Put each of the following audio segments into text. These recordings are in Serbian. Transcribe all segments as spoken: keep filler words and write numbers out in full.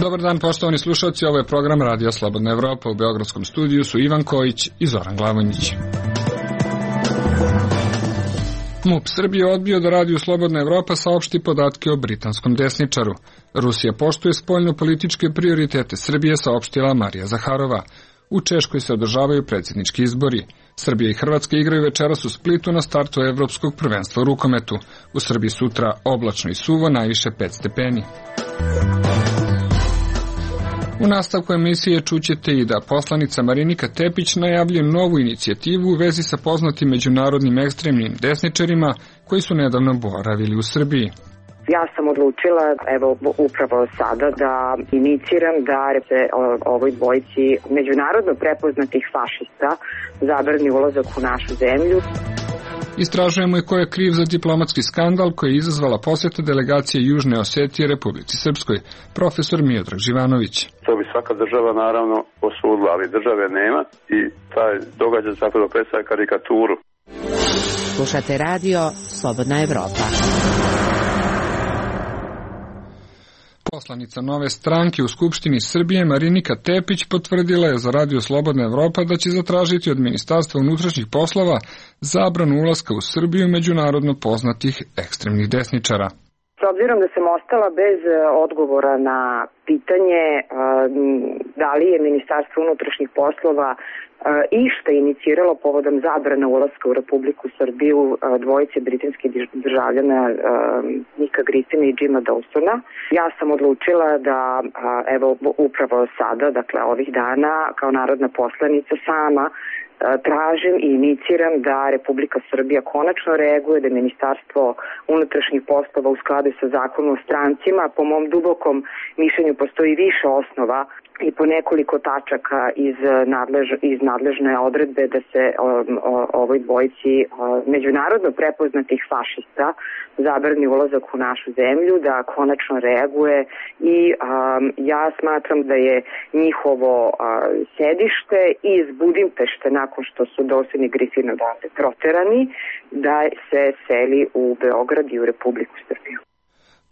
Dobar dan, poštovani slušalci, ovo je program Radio Slobodna Evropa. U beogradskom studiju su Ivan Kojić i Zoran Glavonjić. MUP Srbije odbio da Radio Slobodna Evropa saopšti podatke o britanskom desničaru. Rusija poštuje spoljno-političke prioritete Srbije, saopštila Marija Zaharova. U Češkoj se održavaju predsjednički izbori. Srbija i Hrvatska igraju večeras u Splitu na startu evropskog prvenstva u rukometu. U Srbiji sutra oblačno i suvo, najviše pet stepeni. U nastavku emisije čućete i da poslanica Marinika Tepić najavljuje novu inicijativu u vezi sa poznatim međunarodnim ekstremnim desničarima koji su nedavno boravili u Srbiji. Ja sam odlučila, evo upravo sada, da iniciram da se ovoj dvojici međunarodno prepoznatih fašista zabrani ulazak u našu zemlju. Istražujemo i ko je kriv za diplomatski skandal koji je izazvala posjeta delegacije Južne Osetije Republici Srpskoj, profesor Miodrag Živanović. To bi svaka država naravno osudila, ali države nema i taj događaj zapravo predstavlja karikaturu. Slušate radio Slobodna Evropa. Poslanica Nove stranke u Skupštini Srbije Marinika Tepić potvrdila je za Radio Slobodna Evropa da će zatražiti od Ministarstva unutrašnjih poslova zabranu ulaska u Srbiju međunarodno poznatih ekstremnih desničara. S obzirom da sam ostala bez odgovora na pitanje da li je Ministarstvo unutrašnjih poslova išta iniciralo povodom zabrana ulaska u Republiku Srbiju dvojice britanskih državljana Nika Griffina i Jima Dawsona, ja sam odlučila da evo upravo sada, dakle ovih dana, kao narodna poslanica sama tražim i iniciram da Republika Srbija konačno reaguje, da Ministarstvo unutrašnjih poslova u skladu sa zakonom o strancima, po mom dubokom mišljenju postoji više osnova i po nekoliko tačaka iz, nadlež, iz nadležne odredbe da se o, o, ovoj dvojici o, međunarodno prepoznatih fašista zabrani ulazak u našu zemlju, da konačno reaguje i a, ja smatram da je njihovo a, sedište iz Budimpešte, nakon što su Dawson i Griffin odavde proterani, da se seli u Beograd i u Republiku Srbiju.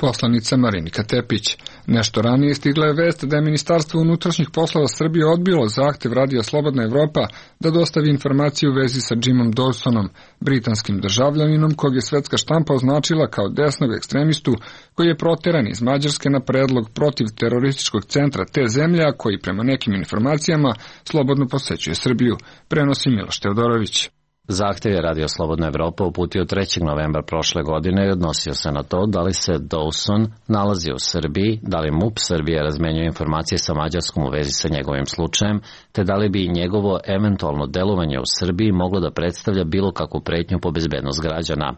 Poslanica Marinika Tepić. Nešto ranije stigla je vest da je Ministarstvo unutrašnjih poslova Srbije odbilo zahtev Radija Slobodna Evropa da dostavi informacije u vezi sa Jimom Dawsonom, britanskim državljaninom kog je svetska štampa označila kao desnog ekstremistu koji je proteran iz Mađarske na predlog protiv terorističkog centra te zemlje, a koji prema nekim informacijama slobodno posećuje Srbiju, prenosi Miloš Teodorović. Zahtev je Radio Slobodna Evropa uputio trećeg novembra prošle godine i odnosio se na to da li se Dawson nalazi u Srbiji, da li MUP Srbije razmenjuje informacije sa Mađarskom u vezi sa njegovim slučajem, te da li bi njegovo eventualno delovanje u Srbiji moglo da predstavlja bilo kakvu pretnju po bezbednost građana.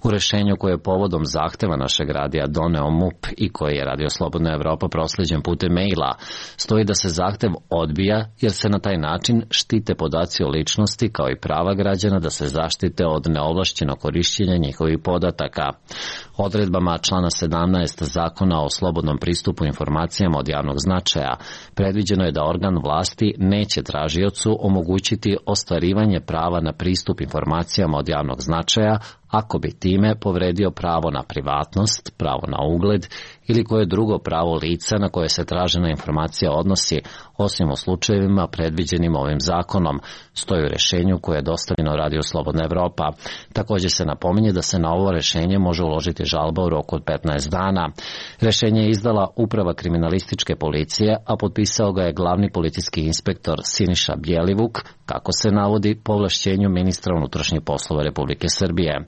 U rešenju koje je povodom zahteva našeg radija doneo MUP i koji je Radio Slobodna Evropa prosleđen putem maila, stoji da se zahtev odbija jer se na taj način štite podaci o ličnosti kao i prava građana da se zaštite od neovlašćenog korišćenja njihovih podataka. Odredbama člana sedamnaest Zakona o slobodnom pristupu informacijama od javnog značaja predviđeno je da organ vlasti neće tražiocu omogućiti ostvarivanje prava na pristup informacijama od javnog značaja ako bi time povredio pravo na privatnost, pravo na ugled ili koje drugo pravo lica na koje se tražena informacija odnosi, osim u slučajevima predviđenim ovim zakonom, stoji u rešenju koje je dostavljeno Radio Slobodna Evropa. Također se napominje da se na ovo rešenje može uložiti žalba u roku od petnaest dana. Rešenje je izdala Uprava kriminalističke policije, a potpisao ga je glavni policijski inspektor Siniša Bjelivuk, kako se navodi po ovlašćenju ministra unutrašnjih poslova Republike Srbije.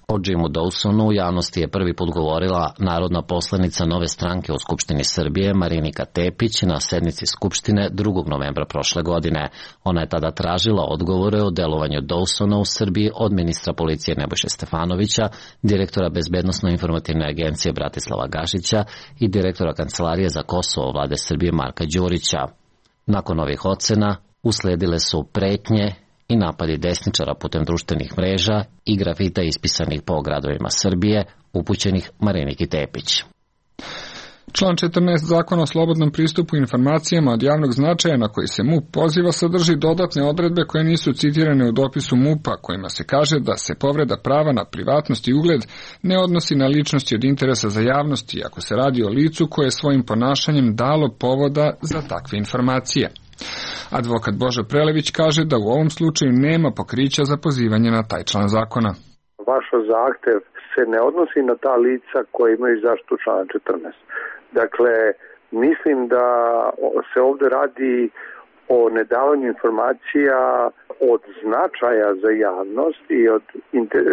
O Jimu Dawsonu u javnosti je prvi put govorila narodna poslanica Nove stranke u Skupštini Srbije Marinika Tepić na sednici Skupštine drugog novembra prošle godine. Ona je tada tražila odgovore o delovanju Dawsona u Srbiji od ministra policije Nebojše Stefanovića, direktora Bezbednosno-informativne agencije Bratislava Gašića i direktora Kancelarije za Kosovo vlade Srbije Marka Đurića. Nakon ovih ocena usledile su pretnje i napadi desničara putem društvenih mreža i grafita ispisanih po gradovima Srbije, upućenih Mariniki Tepić. Član četrnaest Zakona o slobodnom pristupu informacijama od javnog značaja na koji se MUP poziva sadrži dodatne odredbe koje nisu citirane u dopisu MUP-a, kojima se kaže da se povreda prava na privatnost i ugled ne odnosi na ličnosti od interesa za javnost, ako se radi o licu koje je svojim ponašanjem dalo povoda za takve informacije. Advokat Božo Prelević kaže da u ovom slučaju nema pokrića za pozivanje na taj član zakona. Vaš zahtev se ne odnosi na ta lica koja imaju zaštitu člana četrnaest. Dakle, mislim da se ovde radi o nedavanju informacija od značaja za javnost i od inter,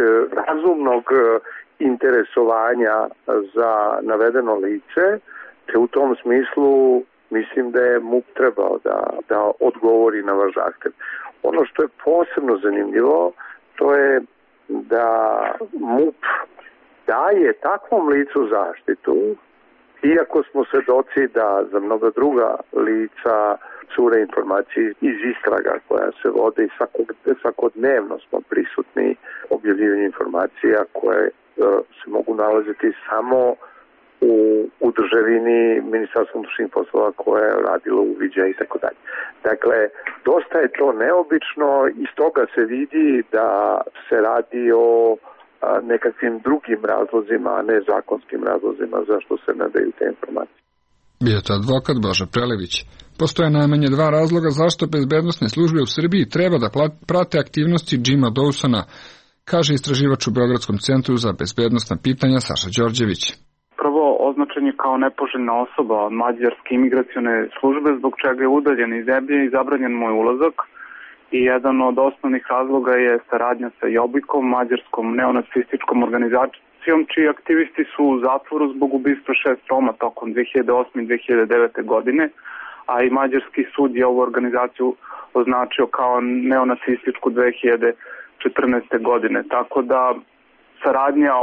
razumnog interesovanja za navedeno lice, te u tom smislu mislim da je MUP trebao da, da odgovori na vaš zahtev. Ono što je posebno zanimljivo, to je da MUP daje takvom licu zaštitu, iako smo svedoci da za mnoga druga lica cure informacije iz istraga koja se vode i svakog, svakodnevno smo prisutni objavljivanje informacija koje uh, se mogu nalaziti samo u, u državini Ministarstva unutrašnjih poslova koje je radilo uviđaj i tako dalje. Dakle, dosta je to neobično i stoga se vidi da se radi o nekakvim drugim razlozima, a ne zakonskim razlozima zašto se ne daju te informacije. Bio to advokat Božo Prelević. Postoje najmanje dva razloga zašto bezbednosne službe u Srbiji treba da prate aktivnosti Jima Dawsona, kaže istraživač u Beogradskom centru za bezbednosna pitanja Saša Đorđević. Prvo, označen je kao nepoželjna osoba od mađarske imigracione službe, zbog čega je udaljen iz zemlje i zabranjen moj ulazak. I jedan od osnovnih razloga je saradnja sa Jobikom, mađarskom neonacističkom organizacijom, čiji aktivisti su u zatvoru zbog ubistva šest Roma tokom dve hiljade osme i dve hiljade devete. godine, a i mađarski sud je ovu organizaciju označio kao neonacističku dve hiljade četrnaeste. godine. Tako da saradnja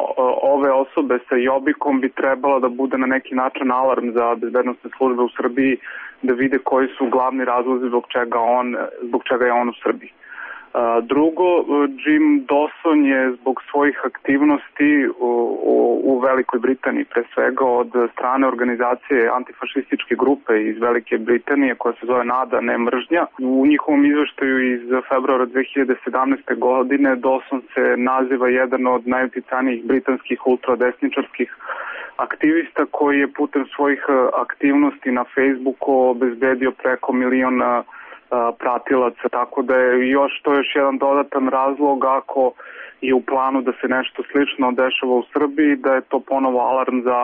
ove osobe sa Jobikom bi trebala da bude na neki način alarm za bezbednosne službe u Srbiji, da vide koji su glavni razlozi zbog čega, on, zbog čega je on u Srbiji. Drugo, Jim Dawson je zbog svojih aktivnosti u, u, u Velikoj Britaniji, pre svega od strane organizacije antifašističke grupe iz Velike Britanije koja se zove NADA, ne mržnja. U njihovom izveštaju iz februara dve hiljade sedamnaeste. godine Dawson se naziva jedan od najuticajnijih britanskih ultradesničarskih aktivista koji je putem svojih aktivnosti na Facebooku obezbedio preko miliona pratilaca, tako da je još to još jedan dodatan razlog ako je u planu da se nešto slično dešava u Srbiji, da je to ponovo alarm za,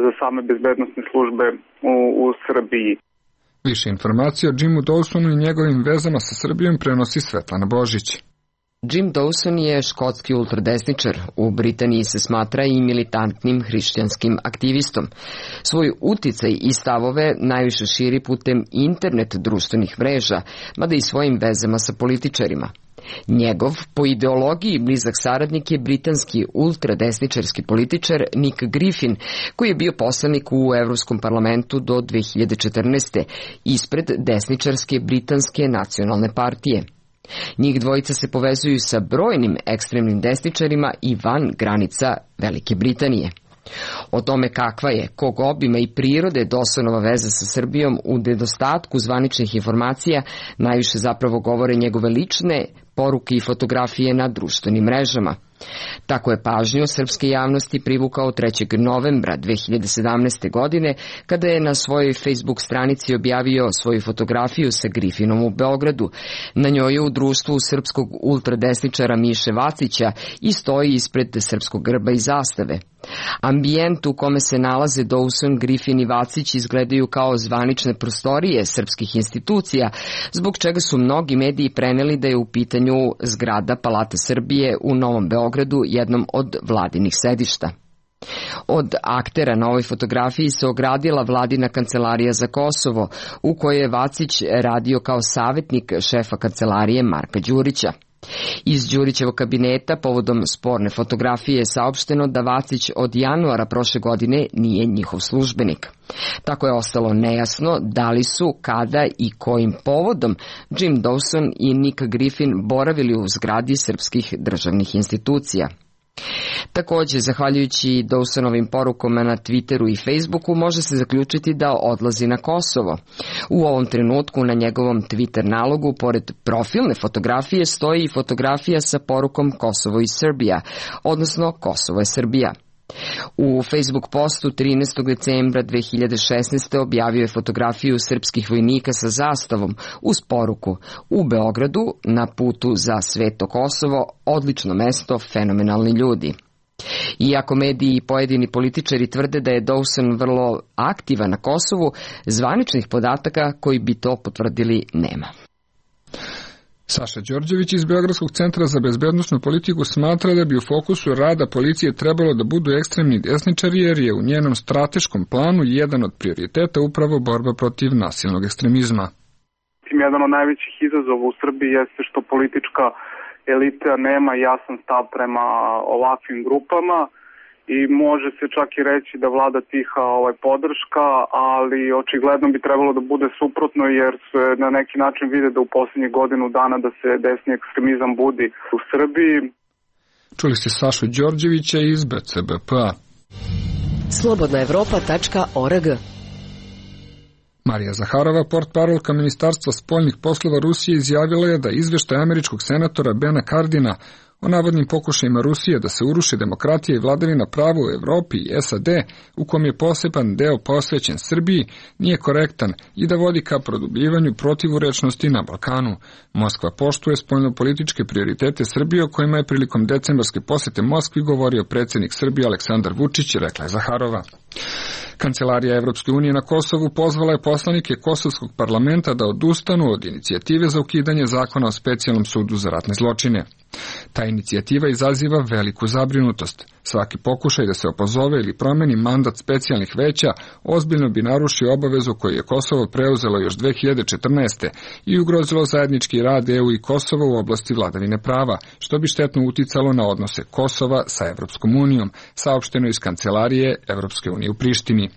za same bezbednosne službe u, u Srbiji. Više informacije o Jimu Dawsonu i njegovim vezama sa Srbijom prenosi Svetlana Božić. Jim Dawson je škotski ultradesničar. U Britaniji se smatra i militantnim hrišćanskim aktivistom. Svoj uticaj i stavove najviše širi putem internet društvenih mreža, mada i svojim vezama sa političarima. Njegov, po ideologiji blizak saradnik je britanski ultradesničarski političar Nick Griffin, koji je bio poslanik u Evropskom parlamentu do dve hiljade četrnaeste. ispred desničarske britanske nacionalne partije. Njih dvojica se povezuju sa brojnim ekstremnim desničarima i van granica Velike Britanije. O tome kakva je, kog obima i prirode Dawsonova veza sa Srbijom u nedostatku zvaničnih informacija najviše zapravo govore njegove lične poruke i fotografije na društvenim mrežama. Tako je pažnju srpske javnosti privukao trećeg novembra dve hiljade sedamnaeste. godine, kada je na svojoj Facebook stranici objavio svoju fotografiju sa Griffinom u Beogradu. Na njoj je u društvu srpskog ultradesničara Miše Vacića i stoji ispred srpskog grba i zastave. Ambijent u kome se nalaze Dawson, Griffin i Vacić izgledaju kao zvanične prostorije srpskih institucija, zbog čega su mnogi mediji preneli da je u pitanju zgrada Palate Srbije u Novom Beogradu, jednom od vladinih sedišta. Od aktera na ovoj fotografiji se ogradila vladina kancelarija za Kosovo, u kojoj je Vacić radio kao savjetnik šefa kancelarije Marka Đurića. Iz Đurićevog kabineta povodom sporne fotografije je saopšteno da Vacić od januara prošle godine nije njihov službenik. Tako je ostalo nejasno da li su, kada i kojim povodom Jim Dawson i Nick Griffin boravili u zgradi srpskih državnih institucija. Takođe, zahvaljujući Dawsonovim porukama na Twitteru i Facebooku, može se zaključiti da odlazi na Kosovo. U ovom trenutku na njegovom Twitter nalogu, pored profilne fotografije, stoji i fotografija sa porukom Kosovo i Srbija, odnosno Kosovo je Srbija. U Facebook postu trinaestog decembra dve hiljade šesnaeste. objavio je fotografiju srpskih vojnika sa zastavom uz poruku: u Beogradu, na putu za Sveto Kosovo, odlično mesto, fenomenalni ljudi. Iako mediji i pojedini političari tvrde da je Dawson vrlo aktivan na Kosovu, zvaničnih podataka koji bi to potvrdili nema. Saša Đorđević iz Beogradskog centra za bezbednosnu politiku smatra da bi u fokusu rada policije trebalo da budu ekstremni desničari, jer je u njenom strateškom planu jedan od prioriteta upravo borba protiv nasilnog ekstremizma. Jedan od najvećih izazova u Srbiji jeste što politička elita nema jasan stav prema ovakvim grupama i može se čak i reći da vlada tiha ovaj, podrška, ali očigledno bi trebalo da bude suprotno, jer se na neki način vide da u poslednjih godinu dana da se desni ekstremizam budi u Srbiji. Čuli ste Sašu Đorđevića iz B C B P A. slobodna evropa tačka org. Marija Zaharova, portparolka Ministarstva spoljnih poslova Rusije, izjavila je da izveštaj američkog senatora Bena Cardina o navodnim pokušajima Rusije da se uruši demokratija i vladavina prava u Evropi i S A D, u kom je poseban deo posvećen Srbiji, nije korektan i da vodi ka produbljivanju protivurečnosti na Balkanu. Moskva poštuje spoljnopolitičke prioritete Srbije, o kojima je prilikom decembarske posete Moskvi govorio predsjednik Srbije Aleksandar Vučić, rekla je Zaharova. Kancelarija Evropske unije na Kosovu pozvala je poslanike Kosovskog parlamenta da odustanu od inicijative za ukidanje zakona o specijalnom sudu za ratne zločine. Ta inicijativa izaziva veliku zabrinutost. Svaki pokušaj da se opozove ili promeni mandat specijalnih veća ozbiljno bi narušio obavezu koju je Kosovo preuzelo još dve hiljade četrnaeste. i ugrozilo zajednički rad E U i Kosova u oblasti vladavine prava, što bi štetno uticalo na odnose Kosova sa Evropskom unijom, saopšteno iz Kancelarije Evropske unije u Prištini.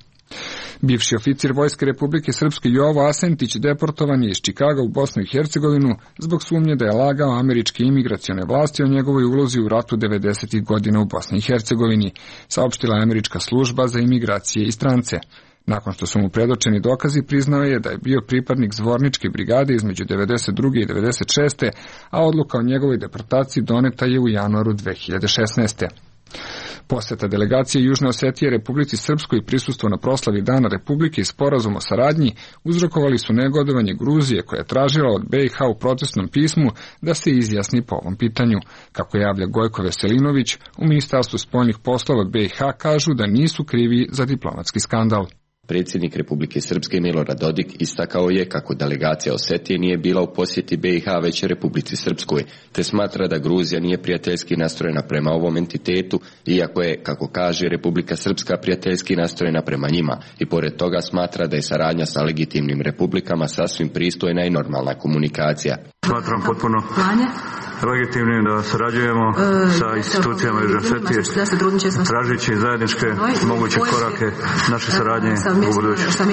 Bivši oficir Vojske Republike Srpske Jovo Asentić deportovan je iz Čikaga u Bosnu i Hercegovinu zbog sumnje da je lagao američke imigracione vlasti o njegovoj ulozi u ratu devedesetih godina u Bosni i Hercegovini, saopštila je američka služba za imigracije i strance. Nakon što su mu predočeni dokazi, priznao je da je bio pripadnik Zvorničke brigade između devedeset druge i devedeset šeste. a odluka o njegovoj deportaciji doneta je u januaru dve hiljade šesnaeste. Poseta delegacije Južne Osetije Republici Srpskoj i prisustvo na proslavi Dana Republike i sporazum o saradnji uzrokovali su negodovanje Gruzije, koja je tražila od B i H u protestnom pismu da se izjasni po ovom pitanju. Kako javlja Gojko Veselinović, u Ministarstvu spoljnih poslova B i H kažu da nisu krivi za diplomatski skandal. Predsjednik Republike Srpske Milorad Dodik istakao je kako delegacija Osetije nije bila u posjeti B i H već Republici Srpskoj, te smatra da Gruzija nije prijateljski nastrojena prema ovom entitetu, iako je, kako kaže, Republika Srpska prijateljski nastrojena prema njima, i pored toga smatra da je saradnja sa legitimnim republikama sasvim pristojna i normalna komunikacija. Smatram potpuno legitimnim da sarađujemo e, sa institucijama Južne Osetije, tražići zajedničke moguće korake naše saradnje u budućnosti.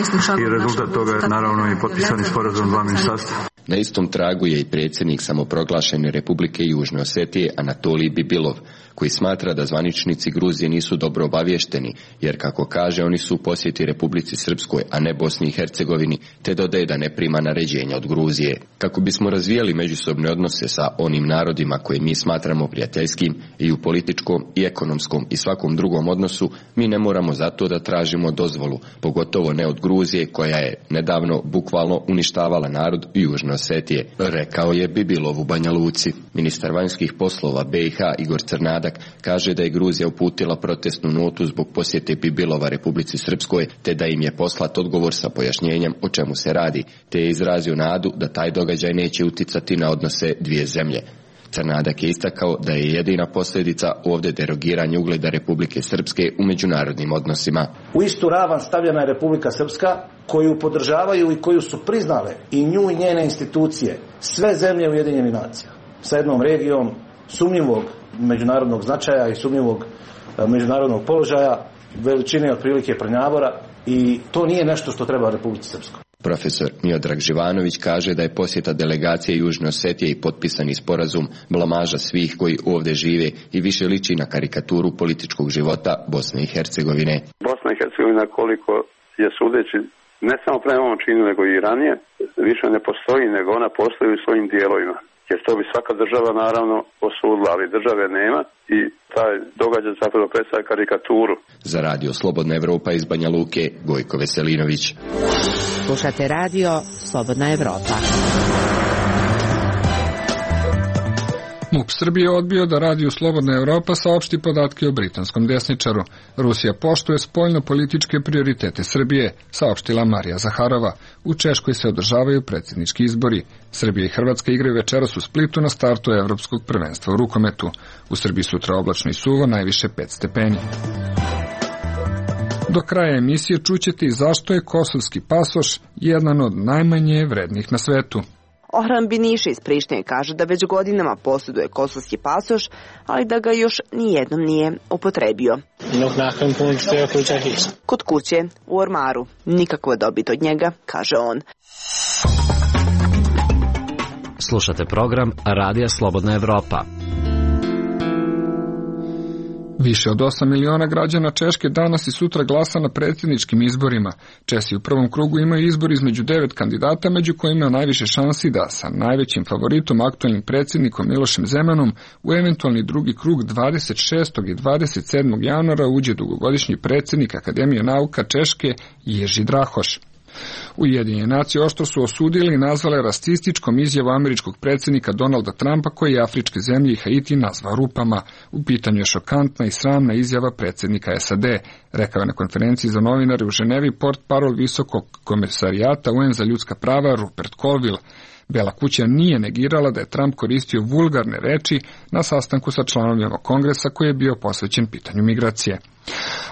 I rezultat toga je naravno i potpisani sporazum dva ministarstva. Na istom tragu je i predsjednik samoproglašene Republike Južne Osetije Anatolij Bibilov, koji smatra da zvaničnici Gruzije nisu dobro obavješteni, jer, kako kaže, oni su u posjeti Republici Srpskoj, a ne Bosni i Hercegovini, te dodaje da ne prima naređenja od Gruzije. Kako bismo razvijali međusobne odnose sa onim narodima koje mi smatramo prijateljskim i u političkom i ekonomskom i svakom drugom odnosu, mi ne moramo zato da tražimo dozvolu, pogotovo ne od Gruzije, koja je nedavno bukvalno uništavala narod Južne Osetije, rekao je Bibilov u Banja Luci. Ministar vanjskih poslova B i H Igor Crnadak kaže da je Gruzija uputila protestnu notu zbog posjete Bibilova Republici Srpskoj, te da im je poslat odgovor sa pojašnjenjem o čemu se radi, te je izrazio nadu da taj događaj neće uticati na odnose dvije zemlje. Crnadak je istakao da je jedina posljedica ovdje derogiranje ugleda Republike Srpske u međunarodnim odnosima. U istu ravan stavljena je Republika Srpska, koju podržavaju i koju su priznale i nju i njene institucije, sve zemlje Ujedinjenih nacija, sa jednom regijom sumnjivog međunarodnog značaja i sumnjivog međunarodnog položaja, veličine otprilike Prnjavora, i to nije nešto što treba Republici Srpskoj. Profesor Miodrag Živanović kaže da je posjeta delegacije Južne Osetije i potpisani sporazum blamaža svih koji ovdje žive i više liči na karikaturu političkog života Bosne i Hercegovine. Bosna i Hercegovina, koliko je sudeći ne samo prema ovom činu nego i ranije, više ne postoji nego ona postoji u svojim dijelovima. Jer to bi svaka država naravno osudila, ali države nema i taj događaj zapravo predstavlja karikaturu. Za radio Slobodna Evropa iz Banja Luke, Gojko Veselinović. Slušate radio Slobodna Evropa. MUP Srbije odbio da Radio Slobodna Evropa saopšti podatke o britanskom desničaru. Rusija poštuje spoljno-političke prioritete Srbije, saopštila Marija Zaharova. U Češkoj se održavaju predsjednički izbori. Srbija i Hrvatska igraju večeras u Splitu na startu Evropskog prvenstva u rukometu. U Srbiji sutra oblačno i suvo, najviše pet stepeni. Do kraja emisije čućete i zašto je kosovski pasoš jedan od najmanje vrednih na svetu. Ohran Biniša iz Prištine kaže da već godinama posjeduje kosovski pasoš, ali da ga još nijednom nije upotrebio. Kod kuće, u ormaru, nikakva dobit od njega, kaže on. Slušate program Radija Slobodna Evropa. Više od osam miliona građana Češke danas i sutra glasa na predsjedničkim izborima. Česi u prvom krugu imaju izbor između devet kandidata, među kojima je najviše šansi da sa najvećim favoritom, aktualnim predsjednikom Milošem Zemanom, u eventualni drugi krug dvadeset šestog i dvadeset sedmog januara uđe dugogodišnji predsjednik Akademije nauka Češke Ježi Drahoš. Ujedinjene nacije oštro su osudili i nazvale rasističkom izjavu američkog predsjednika Donalda Trumpa, koji je afričke zemlje i Haiti nazvao rupama. U pitanju je šokantna i sramna izjava predsjednika S A D, rekao je na konferenciji za novinare u Ženevi portparol visokog komesarijata U N za ljudska prava Rupert Colville. Bela kuća nije negirala da je Trump koristio vulgarne reči na sastanku sa članovima kongresa koji je bio posvećen pitanju migracije.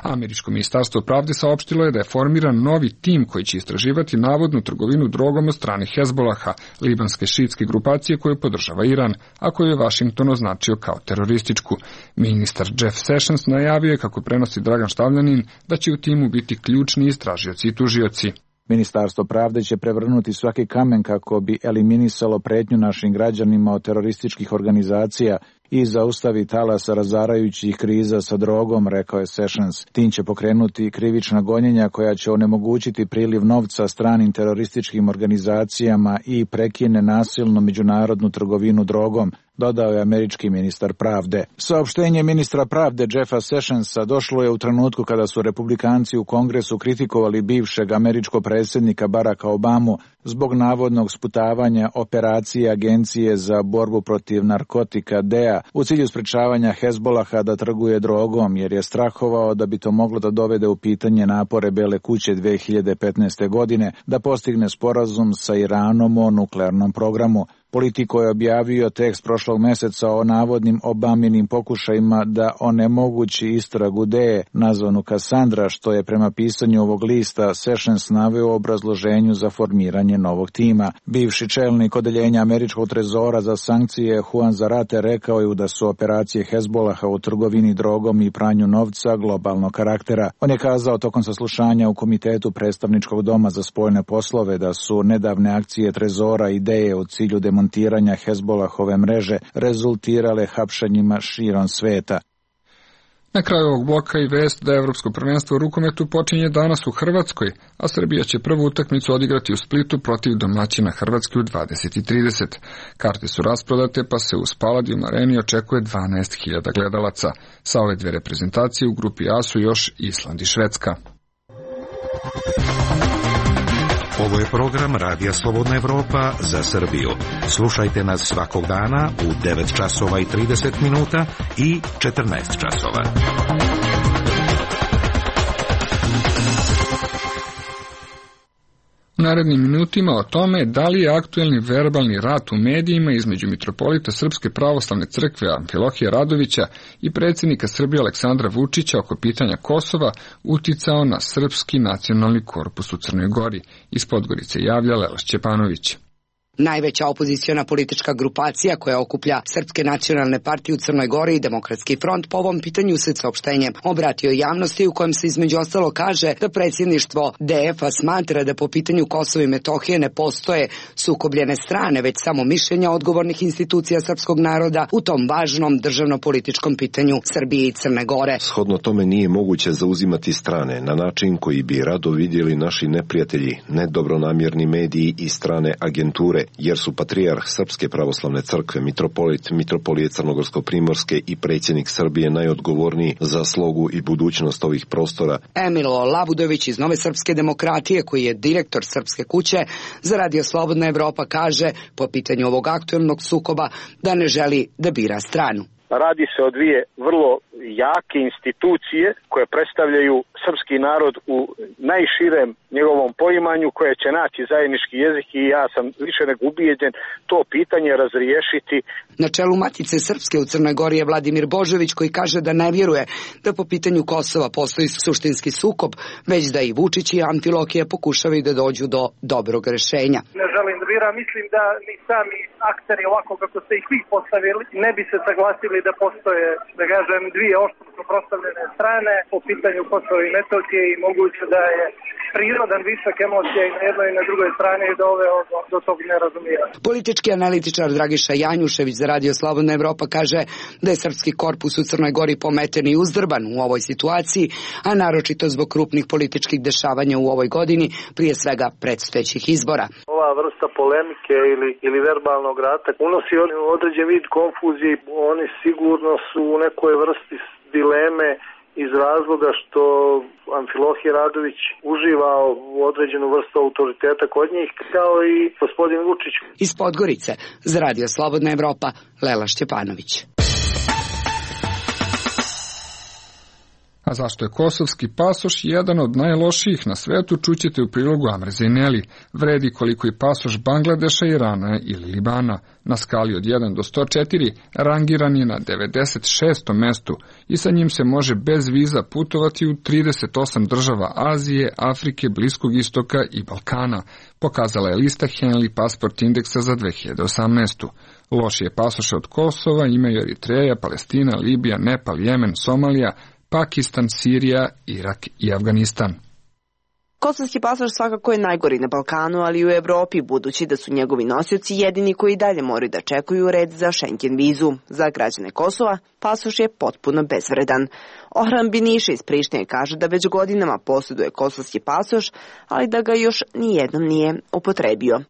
Američko ministarstvo pravde saopštilo je da je formiran novi tim koji će istraživati navodnu trgovinu drogom od strane Hezbolaha, libanske šiitske grupacije koju podržava Iran, a koju je Washington označio kao terorističku. Ministar Jeff Sessions najavio je, kako prenosi Dragan Štavljanin, da će u timu biti ključni istražioci i tužioci. Ministarstvo pravde će prevrnuti svaki kamen kako bi eliminisalo pretnju našim građanima od terorističkih organizacija i zaustavi talas razarajućih kriza sa drogom, rekao je Sessions. Tim će pokrenuti krivična gonjenja koja će onemogućiti priliv novca stranim terorističkim organizacijama i prekine nasilnu međunarodnu trgovinu drogom, dodao je američki ministar pravde. Saopštenje ministra pravde Jeffa Sessionsa došlo je u trenutku kada su republikanci u Kongresu kritikovali bivšeg američkog predsjednika Baracka Obamu zbog navodnog sputavanja operacije Agencije za borbu protiv narkotika D E A u cilju sprečavanja Hezbolaha da trguje drogom, jer je strahovao da bi to moglo da dovede u pitanje napore Bele kuće dve hiljade petnaeste. godine da postigne sporazum sa Iranom o nuklearnom programu. Politiko je objavio tekst prošlog meseca o navodnim Obaminim pokušajima da onemogući istragu D E A, nazvanu Cassandra, što je prema pisanju ovog lista Sessions naveo u obrazloženju za formiranje novog tima. Bivši čelnik odeljenja američkog trezora za sankcije Juan Zarate rekao je da su operacije Hezbolaha u trgovini drogom i pranju novca globalnog karaktera. On je kazao tokom saslušanja u Komitetu predstavničkog doma za spoljne poslove da su nedavne akcije trezora i D E A u cilju demontiranja Hezbolahove mreže rezultirale hapšenjima širom sveta. Na kraju ovog bloka i vest da Evropsko prvenstvo u rukometu počinje danas u Hrvatskoj, a Srbija će prvu utakmicu odigrati u Splitu protiv domaćina Hrvatske u dvadeset i trideset. Karte su rasprodate, pa se u Spaladium Areni očekuje dvanaest hiljada gledalaca. Sa ove dve reprezentacije u grupi A su još Island i Švedska. Ovo je program Radija Slobodna Evropa za Srbiju. Slušajte nas svakog dana u devet časova i trideset minuta i četrnaest časova. U narednim minutima o tome da li je aktuelni verbalni rat u medijima između mitropolita Srpske pravoslavne crkve Amfilohija Radovića i predsjednika Srbije Aleksandra Vučića oko pitanja Kosova uticao na srpski nacionalni korpus u Crnoj Gori. Iz Podgorice javlja Leoš Ćepanović. Najveća opoziciona politička grupacija koja okuplja Srpske nacionalne partije u Crnoj Gori i Demokratski front po ovom pitanju se saopštenje obratio javnosti u kojem se između ostalo kaže da predsjedništvo D F-a smatra da po pitanju Kosova i Metohije ne postoje sukobljene strane, već samo mišljenja odgovornih institucija srpskog naroda u tom važnom državno-političkom pitanju Srbije i Crne Gore. Shodno tome nije moguće zauzimati strane na način koji bi rado vidjeli naši neprijatelji, nedobronamjerni mediji i strane agenture, jer su patrijarh Srpske pravoslavne crkve, mitropolit, mitropolije Crnogorsko-primorske i predsjednik Srbije najodgovorniji za slogu i budućnost ovih prostora. Emilo Labudović iz Nove srpske demokratije, koji je direktor Srpske kuće za Radio Slobodna Evropa, kaže po pitanju ovog aktuelnog sukoba da ne želi da bira stranu. Radi se o dvije vrlo jake institucije koje predstavljaju srpski narod u najširem njegovom poimanju, koje će naći zajednički jezik i ja sam više nego ubijeđen to pitanje razriješiti. Na čelu Matice Srpske u Crnoj Gori je Vladimir Božović, koji kaže da ne vjeruje da po pitanju Kosova postoji suštinski sukob, već da i Vučić i Amfilohije pokušavaju da dođu do dobrog rešenja. Ne želim da vjerujem, mislim da ni sami akteri ovako kako ste ih vi postavili ne bi se saglasili da postoje, da kažem, dvije oštro suprotstavljene strane po pitanju Kosova i Metohije i moguće da je prirodan višak emocija i na jednoj i na drugoj strani i doveo do, do tog nerazumijevanja. Politički analitičar Dragiša Janjušević za Radio Slobodna Evropa kaže da je srpski korpus u Crnoj Gori pometen i uzdrban u ovoj situaciji, a naročito zbog krupnih političkih dešavanja u ovoj godini, prije svega predstojećih izbora. Ova vrsta polemike ili, ili verbalnog rata unosi određen vid konfuzije, oni sigurno su u nekoj vrsti dileme iz razloga što Amfilohije Radović uživa u određenu vrstu autoriteta kod njih, kao i gospodin Vučić. Iz Podgorice, za Radio Slobodna Evropa, Lela Šćepanović. A zašto je kosovski pasoš jedan od najlošijih na svetu, čućete u prilogu Amre Zejneli. Vredi koliko i pasoš Bangladeša, Irana ili Libana. Na skali od jedan do sto četiri rangiran je na devedeset šestom mestu i sa njim se može bez viza putovati u trideset osam država Azije, Afrike, Bliskog istoka i Balkana, pokazala je lista Henley Passport Indeksa za dve hiljade osamnaestu. Lošije pasoše od Kosova imaju Eritreja, Palestina, Libija, Nepal, Jemen, Somalija, Pakistan, Sirija, Irak i Afganistan. Kosovski pasoš svakako je najgori na Balkanu, ali i u Evropi, budući da su njegovi nosioci jedini koji dalje moraju da čekuju red za Schengen vizu. Za građane Kosova pasoš je potpuno bezvredan. Orhan Biniša iz Prištine kaže da već godinama posjeduje kosovski pasoš, ali da ga još nijednom nije upotrebio.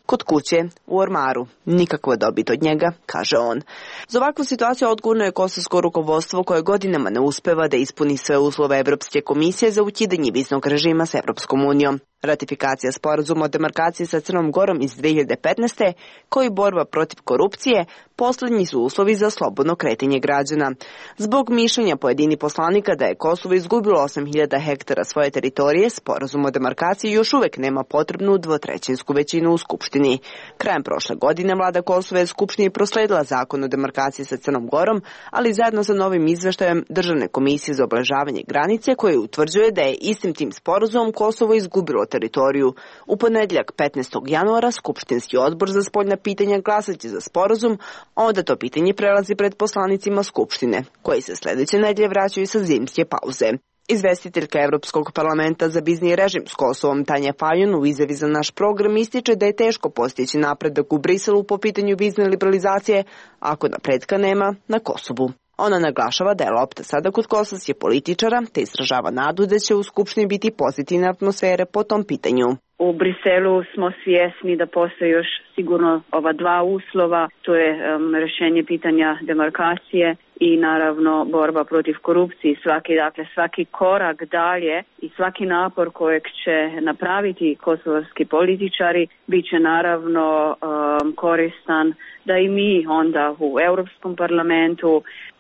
Kod kuće, u ormaru, nikakva dobit od njega, kaže on. Za ovakvu situaciju odgovorno je kosovsko rukovodstvo koje godinama ne uspeva da ispuni sve uslove Evropske komisije za ukidanje viznog režima s Evropskom unijom. Ratifikacija sporazuma o demarkaciji sa Crnom Gorom iz dve hiljade petnaeste, koji borba protiv korupcije, poslednji su uslovi za slobodno kretanje građana. Zbog mišljenja pojedini poslanika da je Kosovo izgubilo osam hiljada hektara svoje teritorije, sporazum o demarkaciji još uvek nema potrebnu dvotrećinsku većinu u Skupštini. Krajem prošle godine vlada Kosova je Skupštini prosledila zakon o demarkaciji sa Crnom Gorom, ali zajedno sa novim izveštajem Državne komisije za obeležavanje granice, koji utvrđuje da je istim tim sporazumom Kosovo izgubilo teritoriju. U ponedjeljak petnaestog januara Skupštinski odbor za spoljna pitanja glasaće za sporazum, onda to pitanje prelazi pred poslanicima Skupštine, koji se sledeće nedelje vraćaju sa zimske pauze. Izvestiteljka Evropskog parlamenta za vizni režim s Kosovom Tanja Fajon u izjavi za naš program ističe da je teško postići napredak u Briselu po pitanju vizne liberalizacije ako napretka nema na Kosovu. Ona naglašava da je lopta sada kod kosovskih političara, te izražava nadu da će u Skupštini biti pozitivne atmosfere po tom pitanju. U Briselu smo svjesni da postoje još sigurno ova dva uslova, to je um, rješenje pitanja demarkacije i naravno borba protiv korupcije. Svaki, dakle, svaki korak dalje i svaki napor kojeg će napraviti kosovski političari bit će naravno um, koristan da i mi onda u Europskom parlamentu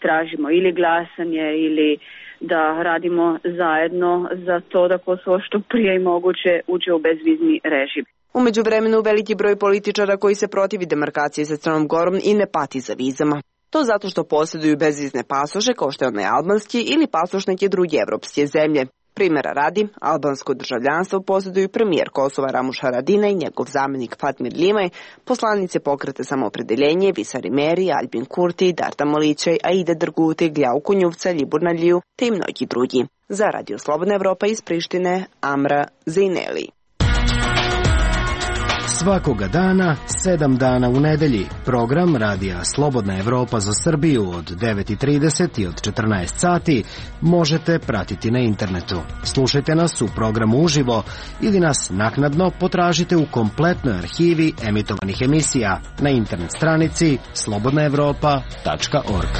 tražimo ili glasanje ili da radimo zajedno za to da Kosovo što prije i moguće uđe u bezvizni režim. U međuvremenu veliki broj političara koji se protivi demarkaciji sa Crnom Gorom i ne pati za vizama. To zato što posjeduju bezvizne pasoše kao što je onaj albanski ili pasoš neke druge evropske zemlje. Primjera radi, albansko državljanstvo posjeduju premijer Kosova Ramuš Haradinaj i njegov zamjenik Fatmir Limaj, poslanice pokreta Samoopredeljenje Visari Meri, Albin Kurti, Darta Molićaj, Aida Drguti, Gljau Kunjuvca, Libur Naliju te i mnogi drugi. Za Radio Slobodna Evropa iz Prištine, Amra Zejneli. Svakoga dana, sedam dana u nedelji. Program Radija Slobodna Evropa za Srbiju od devet i trideset i od četrnaest sati možete pratiti na internetu. Slušajte nas u programu uživo ili nas naknadno potražite u kompletnoj arhivi emitovanih emisija na internet stranici slobodna evropa tačka org.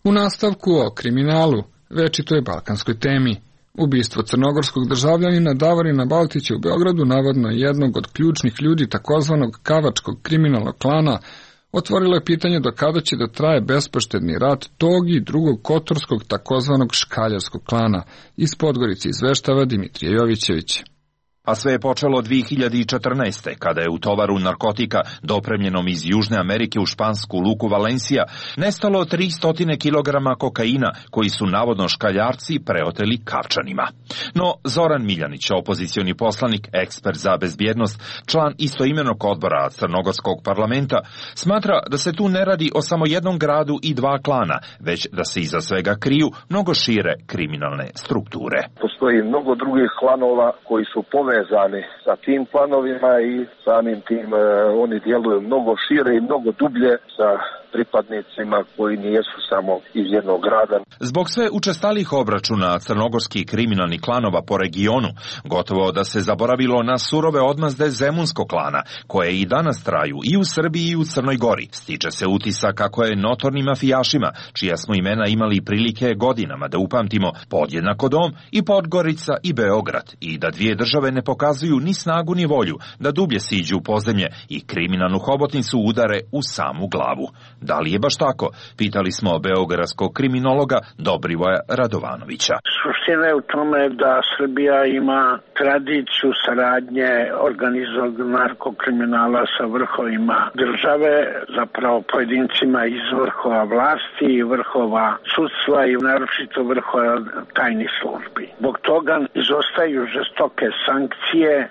U nastavku o kriminalu, večitoj balkanskoj temi. Ubistvo crnogorskog državljanina Davorina Baltića u Beogradu, navodno jednog od ključnih ljudi takozvanog kavačkog kriminalnog klana, otvorilo je pitanje do kada će da traje bespoštedni rat tog i drugog kotorskog takozvanog škaljarskog klana. Iz Podgorice izveštava Dimitrije Jovićević. A sve je počelo dve hiljade četrnaeste. kada je u tovaru narkotika dopremljenom iz Južne Amerike u špansku luku Valencija nestalo tristo kilograma kokaina koji su navodno škaljarci preoteli Kavčanima. No Zoran Miljanić, opozicioni poslanik, ekspert za bezbjednost, član istoimenog odbora Crnogorskog parlamenta, smatra da se tu ne radi o samo jednom gradu i dva klana, već da se iza svega kriju mnogo šire kriminalne strukture. Postoji mnogo drugih klanova koji su povezani sa tim klanovima i samim tim e, oni djeluju mnogo šire i mnogo dublje sa pripadnicima koji nijesu samo iz jednog grada. Zbog sve učestalih obračuna crnogorskih kriminalnih klanova po regionu, gotovo da se zaboravilo na surove odmazde Zemunskog klana, koje i danas traju i u Srbiji i u Crnoj Gori. Stiče se utisak kako je notornim mafijašima, čija smo imena imali prilike godinama da upamtimo, podjednako Dom i Podgorica i Beograd, i da dvije države ne pokazuju ni snagu ni volju da dublje siđu u podzemlje i kriminalnu hobotnicu udare u samu glavu. Da li je baš tako? Pitali smo beogradskog kriminologa Dobrivoja Radovanovića. Suština je u tome da Srbija ima tradiciju saradnje organizovanog narkokriminala sa vrhovima države, zapravo pojedincima iz vrhova vlasti i vrhova sudstva i naročito vrhova tajnih službi. Zbog toga izostaju žestoke sankcije,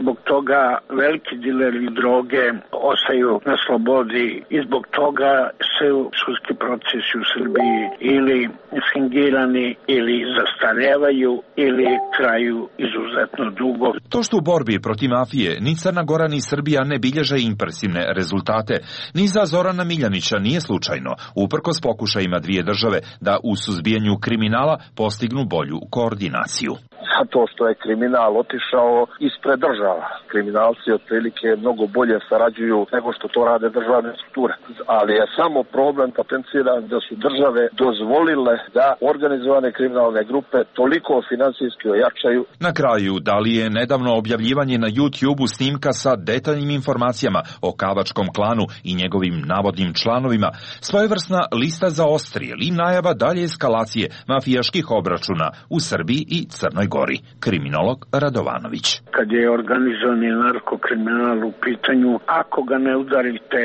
zbog toga veliki dileri droge ostaju na slobodi i zbog toga se sudski procesi u Srbiji ili fingirani ili zastarevaju ili traju izuzetno dugo. To što u borbi protiv mafije ni Crna Gora ni Srbija ne bilježe impresivne rezultate, ni za Zorana Miljanića nije slučajno, uprkos pokušajima dvije države da u suzbijanju kriminala postignu bolju koordinaciju. Zato što je kriminal otišao ispred država. Kriminalci otprilike mnogo bolje sarađuju nego što to rade državne strukture. Ali je samo problem potenciran da su države dozvolile da organizovane kriminalne grupe toliko finansijski ojačaju. Na kraju, da li je nedavno objavljivanje na YouTube-u snimka sa detaljnim informacijama o kavačkom klanu i njegovim navodnim članovima svojevrsna lista za ostrije ili najava dalje eskalacije mafijaških obračuna u Srbiji i Crnoj Gori? Kriminolog Radovanović. Kad je organizovani narkokriminal u pitanju, ako ga ne udarite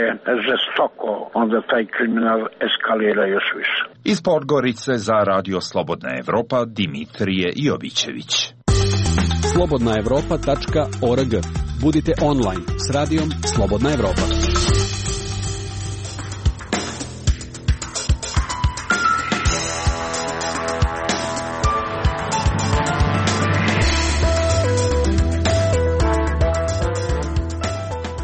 žestoko, onda taj kriminal eskalira još više. Iz Podgorice za Radio Slobodna Evropa Dimitrije Jovićević. slobodna evropa tačka org. Budite online s radijom Slobodna Evropa.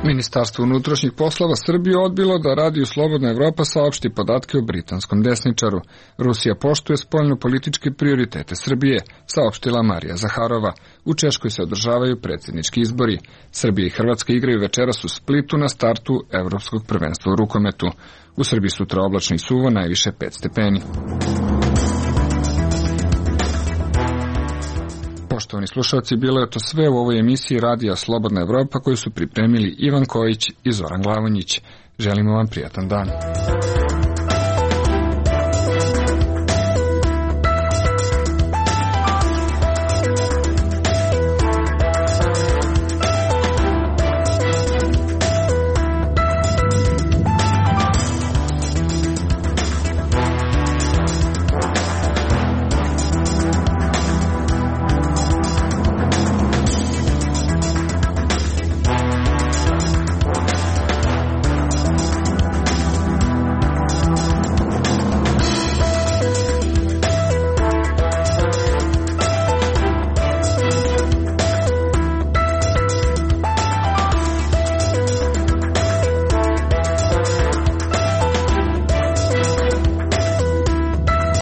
Ministarstvo unutrašnjih poslova Srbije odbilo da Radiju Slobodna Evropa saopšti podatke o britanskom desničaru. Rusija poštuje spoljno-političke prioritete Srbije, saopštila Marija Zaharova. U Češkoj se održavaju predsjednički izbori. Srbija i Hrvatska igraju večeras u Splitu na startu Evropskog prvenstva u rukometu. U Srbiji sutra oblačno i suvo, najviše pet stepeni. Poštovani slušalci, bilo je to sve u ovoj emisiji Radija Slobodna Evropa koju su pripremili Ivan Kojić i Zoran Glavonjić. Želimo vam prijatan dan.